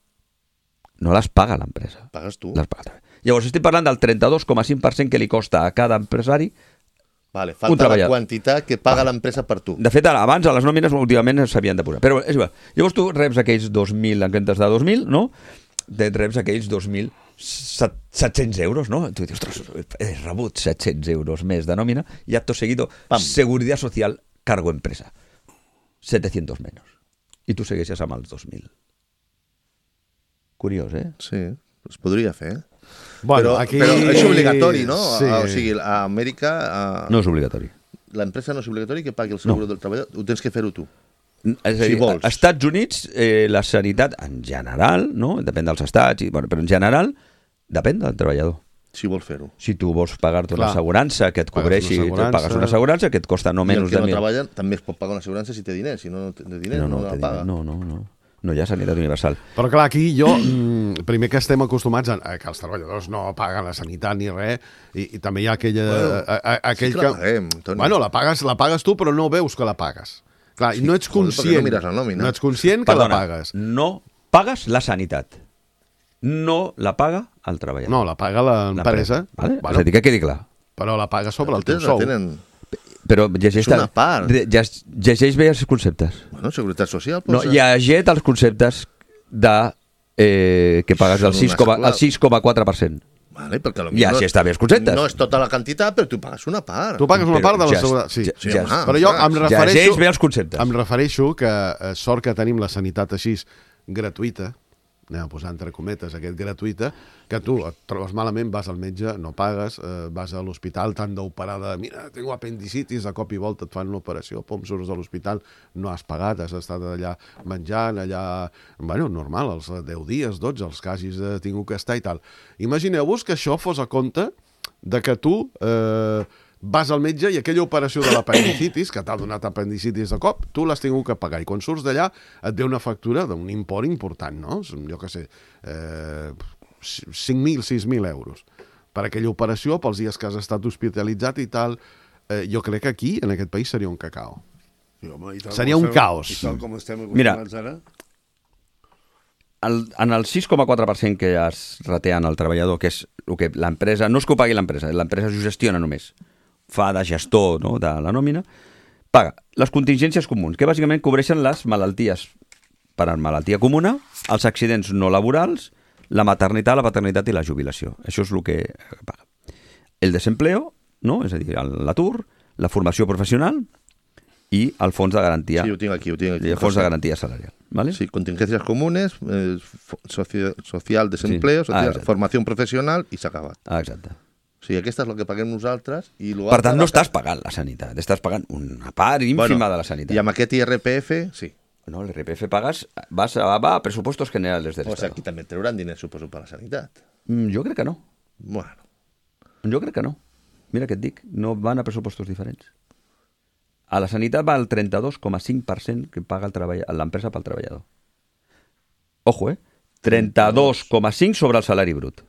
no les paga l'empresa. Pagues tu. Llavors estic parlant del 32,5% que li costa a cada empresari. Vale, falta la quantitat que paga l'empresa per tu. De fet, abans a les nòmines últimament s'havien de posar. Però és igual. Llavors tu reps aquells 2.000, en comptes de 2.000, no? Reps aquells 2.700 euros, no? Tu dius, ostres, he rebut 700 euros més de nòmina i acto seguido, Seguridad Social, cargo empresa. 700 menos. I tu segueixes amb els 2.000. Curiós, eh? Sí, es podria fer. Bueno, però és obligatori, no? Sí. O sigui, a Amèrica... No és obligatori. L'empresa no és obligatori que pagui el seguro del treballador? Ho tens que fer-ho tu. És a dir, als Estats Units, la sanitat, en general, no? Depèn dels estats, però en general, depèn del treballador. Si vol fer-ho. Si tu vols pagar-te una assegurança que et cobreixi, pagues una assegurança que et costa no menys de... I el que no treballa també es pot pagar una assegurança si té diners. Si no té diners, no la paga. No hi ha sanitat universal. Però clar, aquí primer que estem acostumats a que els treballadors no paguen la sanitat ni res, i també hi ha aquell sí que la paguem, Toni. Bueno, la pagues tu, però no veus que la pagues. Clar, i no ets conscient. No ets conscient que la pagues. No pagues la sanitat. No la paga el treballador. No, la paga l'empresa. Vale? És a dir, que quedi clar. Però la paga sobre el teu sou. Però llegeix bé els conceptes. Bueno, seguretat social... Llegeix els conceptes que pagues el 6,4%. Vale, perquè ja si està bé els conceptes. No és tota la quantitat, però tu pagues una part. Tu pagues una part de la seguretat. Sí. Però jo llegeix bé els conceptes. Em refereixo que sort que tenim la sanitat així gratuïta, anem a posar entre cometes aquest gratuïta, que tu et trobes malament, vas al metge, no pagues, vas a l'hospital, t'han d'operar mira, tengo apendicitis, de cop i volta et fan una operació, surts de l'hospital, no has pagat, has estat allà menjant, bueno, normal, els 10 dies, 12, els que hagis tingut que estar i tal. Imagineu-vos que això fos a compte de que tu vas al metge i aquella operació de l'apendicitis, que t'ha donat apendicitis de cop, tu l'has tingut que pagar. I quan surts d'allà et ve una factura d'un import important, no? Jo què sé, 5.000, 6.000 euros. Per aquella operació, pels dies que has estat hospitalitzat i tal, jo crec que aquí, en aquest país, seria un cacao. Seria un caos. I tal com estem acostumats ara... En el 6,4% que es reté al treballador, que és el que l'empresa... No és que ho pagui l'empresa s'ho gestiona només. Fa de gestor, no?, de la nòmina, paga les contingències comuns, que bàsicament cobreixen les malalties per malaltia comuna, els accidents no laborals, la maternitat, la paternitat i la jubilació. Això és el que paga. El desempleo, no?, és a dir, l'atur, la formació professional i el fons de garantia. Sí, ho tinc aquí. El fons de garantia salarial. ¿Vale? Sí, contingencias comunes, social desempleo, formació professional i s'ha acabat. Exacte. O sigui, aquesta és el que paguem nosaltres. Per tant, no estàs pagant la sanitat, estàs pagant una part ínfima de la sanitat. I amb aquest IRPF, sí. No, l'IRPF pagues, va a pressupostos generales del Estado. O sigui, aquí també trauran diners, suposo, per la sanitat. Jo crec que no. Bueno. Jo crec que no. Mira què et dic, no van a pressupostos diferents. A la sanitat va el 32,5% que paga l'empresa pel treballador. Ojo, 32,5% sobre el salari brut.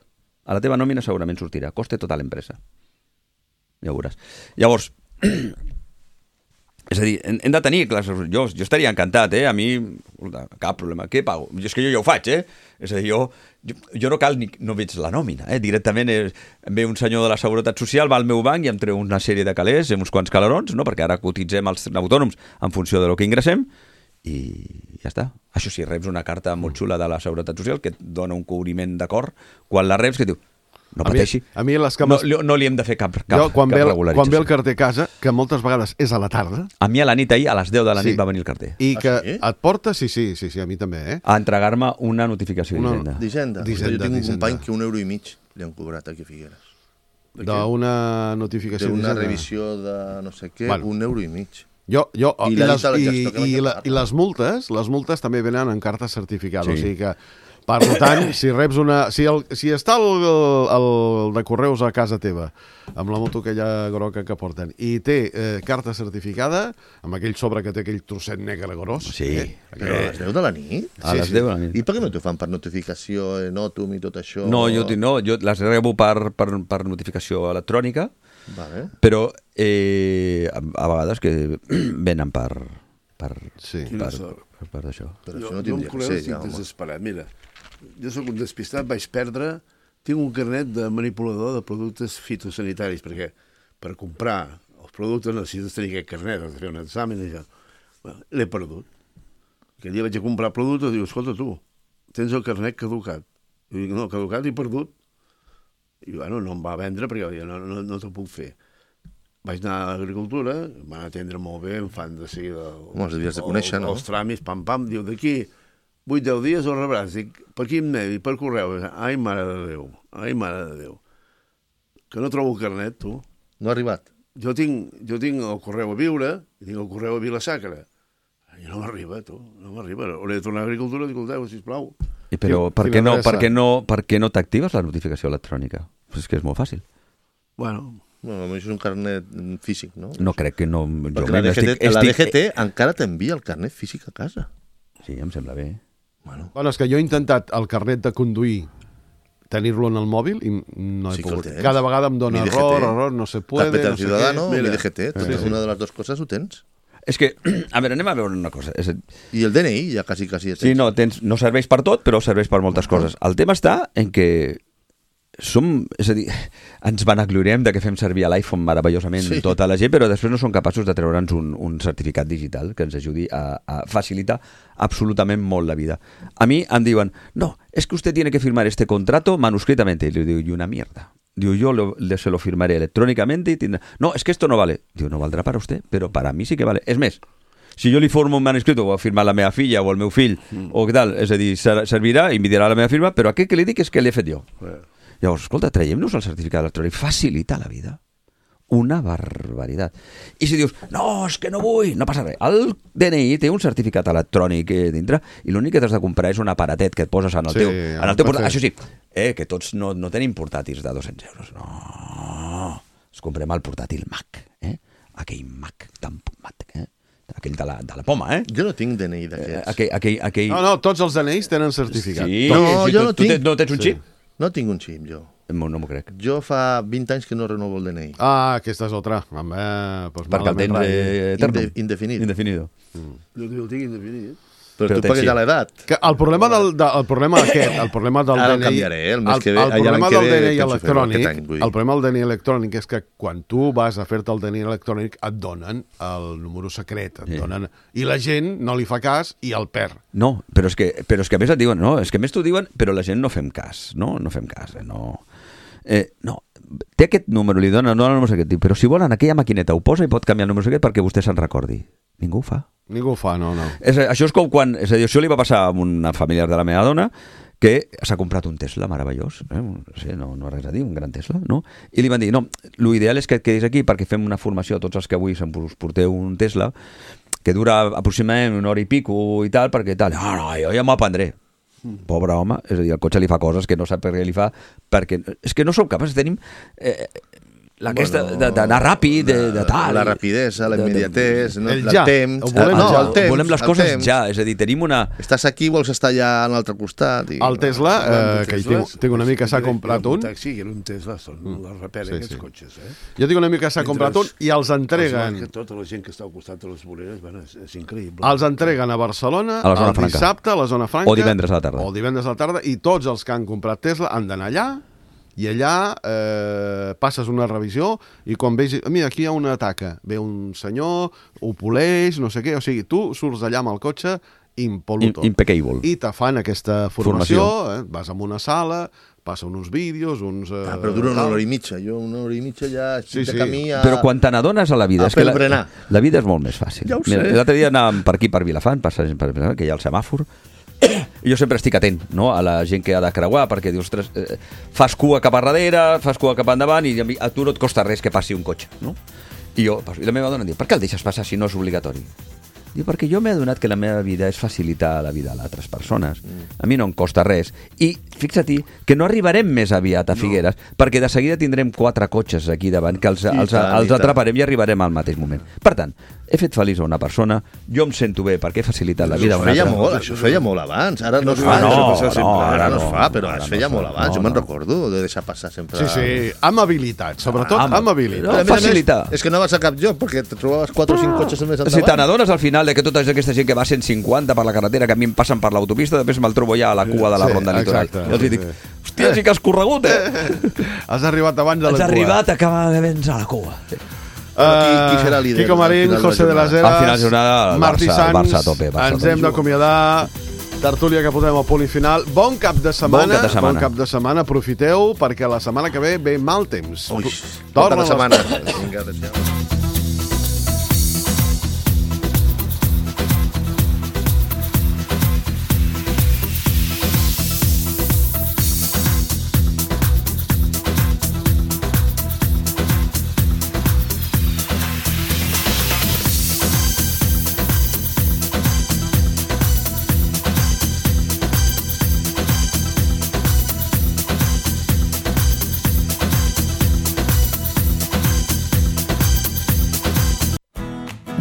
A la teva nòmina segurament sortirà. Coste tota l'empresa. Ja ho veuràs. Llavors, és a dir, hem de tenir... Jo estaria encantat, a mi, cap problema. Què pago? És que jo ja ho faig, És a dir, jo no cal no veig la nòmina, Directament em ve un senyor de la Seguretat Social, va al meu banc i em treu una sèrie de calés, uns quants calarons, no? Perquè ara cotitzem els autònoms en funció del que ingressem, i ja està. Això sí, reps una carta molt xula de la Seguretat Social que et dona un cobriment d'acord quan la reps que diu no pateixi, a mi les cames... no li hem de fer cap quan ve regularització. Quan ve el carter a casa, que moltes vegades és a la tarda... A mi a la nit ahir, a les 10 de la nit va venir el carter. I que et porta, sí, a mi també, a entregar-me una notificació d'Hisenda. Jo tinc un company que €1,5 li han cobrat aquí a Figueres. D'una notificació d'Hisenda. D'una revisió de no sé què, €1,5. I les multes també venen en carta certificada, o sigui que per tant, si reps si està el de correus a casa teva amb la moto aquella groca que porten i té carta certificada amb aquell sobre que té aquell trosset negre gros a les 10 de la nit? A les 10 de la nit. I per què no t'ho fan per notificació Notum i tot això? No, jo les rebo per notificació electrònica, però a vegades que venen per això. Jo amb correus estic desesperat. Mira, jo sóc un despistat, tinc un carnet de manipulador de productes fitosanitaris, perquè per comprar els productes necessites tenir aquest carnet, has de fer un examen i això. L'he perdut. Aquell dia vaig a comprar productes i diu, escolta tu, tens el carnet caducat. Jo dic, no, caducat i perdut. I bueno, no em va vendre perquè no t'ho puc fer. Vaig anar a l'agricultura, em van atendre molt bé, em fan de seguida els tràmits, pam, diu, d'aquí 8-10 dies ho rebràs. Dic, per quin medi? Per correu. Ai, mare de Déu. Que no trobo el carnet, tu. No ha arribat? Jo tinc el correu a Viure i tinc el correu a Vila-Sacra. I no m'arriba, tu. No m'arriba. Hauré de tornar a l'agricultura i escolteu, sisplau. Però per què no t'actives la notificació electrònica? És que és molt fàcil. Bueno, és un carnet físic, no? No crec que no... Perquè la DGT encara t'envia el carnet físic a casa. Sí, em sembla bé. Bueno, és que jo he intentat el carnet de conduir tenir-lo en el mòbil i no he pogut. Cada vegada em dona error, no se puede... Carpeta del Ciudadano, mi DGT, una de les dues coses ho tens. És que, a veure, anem a veure una cosa. I el DNI ja quasi tens. Sí, no serveix per tot, però serveix per moltes coses. El tema està en que és a dir, ens vanagloriem de que fem servir l'iPhone meravellosament tota la gent, però després no som capaços de treure'ns un certificat digital que ens ajudi a facilitar absolutament molt la vida. A mi em diuen, no, es que usted tiene que firmar este contrato manuscritamente. Y le digo, y una mierda. Digo, yo se lo firmaré electrónicamente y tindrá... No, es que esto no vale. Digo, no valdrà para usted, però para mí sí que vale. És més, si jo li formo un manuscrit o ho ha firmat la meva filla o el meu fill o què tal, és a dir, servirà i em dirà la meva firma, però aquest que li dic és que l'he fet jo. Llavors, escolta, traiem-nos el certificat electrònic, facilita la vida. Una barbaritat. I si dius, no, és que no vull, no passa res. El DNI té un certificat electrònic dintre i l'únic que t'has de comprar és un aparatet que et poses en el teu portàtil. Això sí, que tots no tenim portàtils de 200 euros. No, ens comprem el portàtil Mac, aquell Mac tan pomat, aquell de la poma, Jo no tinc DNI d'aquests. No, tots els DNIs tenen certificat. Sí, jo no tinc. No tens un xip? No tinc un xip, jo. No m'ho crec. Jo fa 20 anys que no renovo el DNI. Aquesta és otra. Perquè el tens eterno. Indefinido. Jo el tinc indefinit. Però tu perquè ja l'edat. El problema del DNI... El canviaré, el mes que ve. El problema del DNI electrònic, el problema del DNI electrònic és que quan tu vas a fer-te el DNI electrònic et donen el número secret, i la gent no li fa cas i el perd. No, però és que a més et diuen, no, és que a més t'ho diuen, però la gent no fem cas, no fem cas, no. No, té aquest número, li dona el número secret, però si volen aquella maquineta ho posa i pot canviar el número secret perquè vostè se'n recordi. Ningú ho fa. Ningú ho fa, no. Això és com quan... És a dir, això li va passar a una familiar de la meva dona que s'ha comprat un Tesla meravellós, no res a dir, un gran Tesla, no? I li van dir, no, l'ideal és que et quedis aquí perquè fem una formació a tots els que avui us porteu un Tesla que dura aproximadament 1 hora i pico i tal, perquè tal, no, jo ja m'ho aprendré. Pobre home, és a dir, el cotxe li fa coses que no sap per què li fa, perquè és que no som capaços, tenim d'anar ràpid, de tal. La rapidesa, la immediatès, el temps. Volem les coses ja, és a dir, tenim una... Estàs aquí, vols estar allà a l'altre costat. El Tesla, que tinc un amic que s'ha comprat un... Sí, era un Tesla, són les reperen aquests cotxes. Jo tinc un amic que s'ha comprat un i els entreguen... Tota la gent que està al costat de les voreres, és increïble. Els entreguen a Barcelona, el dissabte, a la zona franca... O divendres a la tarda. I tots els que han comprat Tesla han d'anar allà I allà passes una revisió i quan veus, mira, aquí hi ha una taca, ve un senyor, ho poleix, no sé què, o sigui, tu surts allà amb el cotxe impoluto. Impeccable. I te fan aquesta formació, vas a una sala, passen uns vídeos, però dura una hora i mitja. Jo una hora i mitja ja estic de camí a... Però quan te n'adones a la vida, és que la vida és molt més fàcil. Ja ho sé. L'altre dia anàvem per aquí, per Vilafant, passant per Vilafant, que hi ha el semàfor, i jo sempre estic atent, no?, a la gent que ha de creuar, perquè dius, ostres, fas cua cap a darrere, fas cua cap endavant, i a tu no et costa res que passi un cotxe, no? I la meva dona em diu, per què el deixes passar si no és obligatori? Diu, perquè jo m'he adonat que la meva vida és facilitar la vida a altres persones. A mi no em costa res. I fixa't que no arribarem més aviat a Figueres, perquè de seguida tindrem 4 cotxes aquí davant, que els atraparem i arribarem al mateix moment. Per tant, he fet feliç a una persona, jo em sento bé perquè he facilitat la vida a una altra. Això feia molt abans, ara no es fa. Ara no es fa, però es feia molt abans. Jo me'n recordo de deixar passar sempre... Sí, amb habilitat, sobretot amb habilitat. Facilitar. És que no vas a cap lloc, perquè te trobaves 4 o 5 cotxes més endavant. Si te n'adones al final de que tota aquesta gent que va a 150 per la carretera, que a mi em passen per l'autopista, després me'l trobo ja a la cua de la ronda litoral. I els dic, hòstia, sí que has corregut, Has arribat abans de la cua. Has arribat, acaba de vèncer a la cua. Qui serà líder? Quico Marín, José de las Heras, al final de jornada, Martí Sans, Barça a tope. Ens hem d'acomiadar. Tertúlia que posem al punt i final. Bon cap de setmana. Bon cap de setmana. Aprofiteu, perquè la setmana que ve ve mal temps. Ui, bon cap de setmana. Vinga, adéu.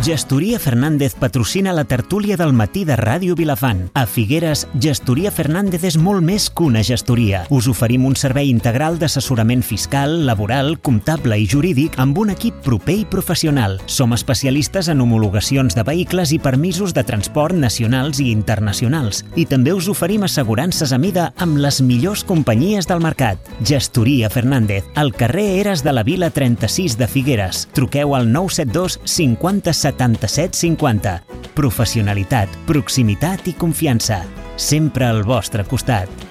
Gestoria Fernández patrocina la tertúlia del matí de Ràdio Vilafant. A Figueres, Gestoria Fernández és molt més que una gestoria. Us oferim un servei integral d'assessorament fiscal, laboral, comptable i jurídic amb un equip proper i professional. Som especialistes en homologacions de vehicles i permisos de transport nacionals i internacionals. I també us oferim assegurances a mida amb les millors companyies del mercat. Gestoria Fernández, al carrer Eres de la Vila 36 de Figueres. Truqueu al 972 50 77 50. Professionalitat, proximitat i confiança. Sempre al vostre costat.